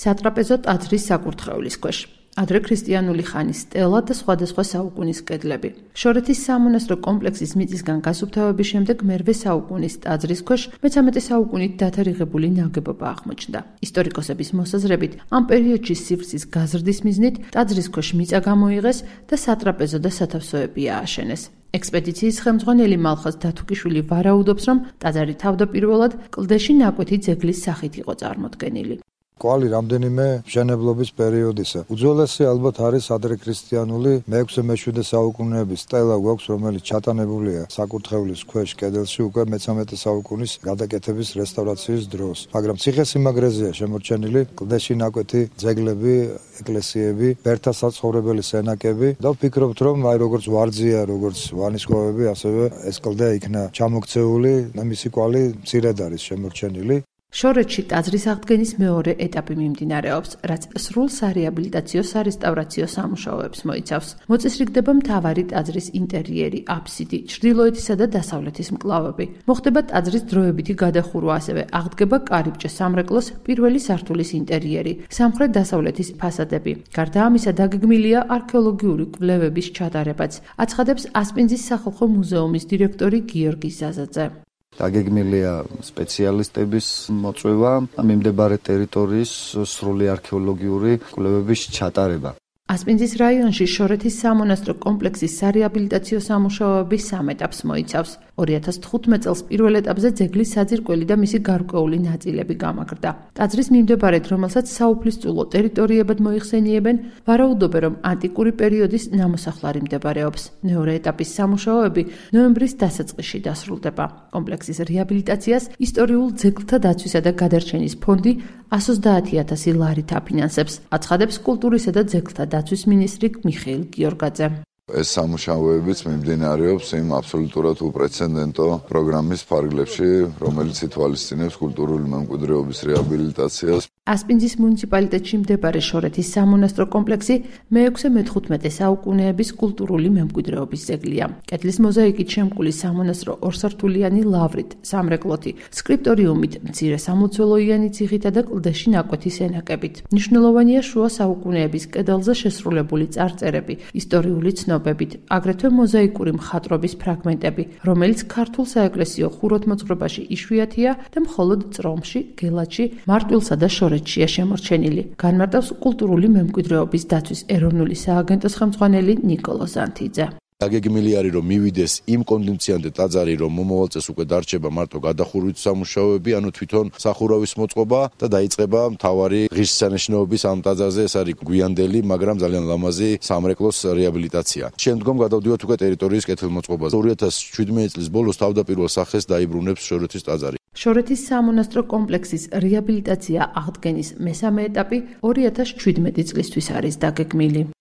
სატრაპეზო ტაძრის საკურთხევლის ქვეშ. ადრე ქრისტიანული ხანის სტელა და სხვადასხვა საუკუნის კედლები. შორეთის სამონასტრო კომპლექსის მიწისგან გასუფთავების შემდეგ მერვე საუკუნის ტაძრის ქვეშ მე-13 საუკუნით დათარიღებული ნაგებობა აღმოჩნდა. ისტორიკოსების მოსაზრებით, ამ პერიოდში სივრცის გაზრდის მიზნით ტაძრის ქვეშ მიწა გამოიღეს და სატრაპეზო და სათავსოები ააშენეს. ექსპედიციის ხელმძღვანელი მალხაზ დათუკიშვილი ვარაუდობს, რომ ტაძარი თავდაპირველად კლდეში ნაკვეთი ძეგლის სახით იყო წარმოდგენილი. კვალი რამდენიმე მშენებლობის პერიოდისა. უძველესი ალბათ არის ადრექრისტიანული მე-6-მე-7 საუკუნეების სტელა გვაქვს, რომელიც ჩატანებულია საკურთხევლის ქვეშ კედელში უკვე მე-13 საუკუნის გადაკეთების რესტავრაციის დროს. მაგრამ ციხესიმაგრეზეა შემორჩენილი კლდეში ნაკვეთი ძეგლები, ეკლესიები, ბერთა საცხოვრებელი სენაკები და ვფიქრობთ, რომ როგორც ვარძია, როგორც ვანისხმოვები, ასევე ეს კლდე იქნა ჩამოქცეული, მისი კვალი მცირედ არის შემორჩენილი. შორეთში ტაძრის აღდგენის მეორე ეტაპი მიმდინარეობს, რაც სრულ სარეაბილიტაციო სარესტავრაციო სამუშაოებს მოიცავს. მოწესრიგდება მთავარი ტაძრის ინტერიერი, აფსიდი, ჩრდილოეთისა და დასავლეთის მკლავები. მოხდება ტაძრის დროებითი გადახურვა, ასევე აღდგება კარიბჭე სამრეკლოს პირველი სართულის ინტერიერი, სამხრეთ-დასავლეთის ფასადები. გარდა ამისა, დაგეგმილია არქეოლოგიური კვლევების ჩატარებაც, აცხადებს ასპინძის სახალხო მუზეუმის დირექტორი გიორგი ზაზაძე. დაგეგმილია სპეციალისტების მოწვევა, მიმდებარე ტერიტორიის სრული არქეოლოგიური კვლევების ჩატარება. ასპინძის რაიონში შორეთის სამონასტრო კომპლექსის სარეაბილიტაციო სამუშაოების 3 ეტაპს მოიცავს. 2015 წელს პირველ ეტაპზე ძეგლის საძირკველი და მისი გარკვეული ნაწილები გამაგრდა. ტაძრის მიმდებარედ, რომელსაც საუფლისწულო ტერიტორიებად მოიხსენიებენ, ვარაუდობენ, რომ ანტიკური პერიოდის ნამოსახლარი მდებარეობს. მეორე ეტაპის სამუშაოები ნოემბრის დასაწყისში დასრულდება. კომპლექსის რეაბილიტაციას ისტორიულ ძეგლთა დაცვისა და გადარჩენის ფონდი 130,000 ლარით აფინანსებს, აცხადებს კულტურისა და ძეგლთა დაცვის მინისტრი მიხეილ გიორგაძე. ეს სამუშაოებიც მიმდინარეობს იმ აბსოლუტურად უპრეცედენტო პროგრამის ფარგლებში, რომელიც ითვალისწინებს კულტურული მემკვიდრეობის რეაბილიტაციას. ასპინძის მუნიციპალიტეტში მდებარე შორეთის სამონასტრო კომპლექსი მე-6-მე-15 საუკუნეების კულტურული მემკვიდრეობის ძეგლია. კედლის მოზაიკით შემკული სამონასტრო ორსართულიანი ლავრით, სამრეკლოთი, სკრიპტორიუმით, მცირე სამლოცველოიანი ციხითა და კლდეში ნაკვეთი სენაკებით. მნიშვნელოვანია შუა საუკუნეების კედელზე შესრულებული წარწერები, ისტორიული ცნობებით, აგრეთვე მოზაიკური მხატვრობის ფრაგმენტები, რომელიც ქართულ საეკლესიო ხუროთმოძღვრებაში იშვიათია და მხოლოდ წრომში, გელათში, მარტვილსა და შორეთშია შემორჩენილი. განმარტავს კულტურული მემკვიდრეობის დაცვის ეროვნული სააგენტოს ხელმძღვანელი ნიკოლო ზანთიძე. დაგეგმილი არის, რომ მივიდეს იმ კონდიციონამდე ტაძარი, რომ მომავალ წელს უკვე დარჩება მარტო გადახურვით სამუშაოები, ანუ თვითონ სახურავის მოწყობა და დაიწყება მთავარი ღირსშესანიშნაობის ამ ტაძარზე, ეს არის გვიანდელი, მაგრამ ძალიან ლამაზი სამრეკლოს რეაბილიტაცია. შემდგომ გადავდივართ უკვე ტერიტორიის კეთილმოწყობაზე. 2017 წლის ბოლოს თავდაპირველ სახეს დაიბრუნებს შორეთის ტაძარი. შორეთის სამონასტრო კომპლექსის რეაბილიტაცია აღდგენის მესამე ეტაპი 2017 წლისთვის არის დაგეგმილი.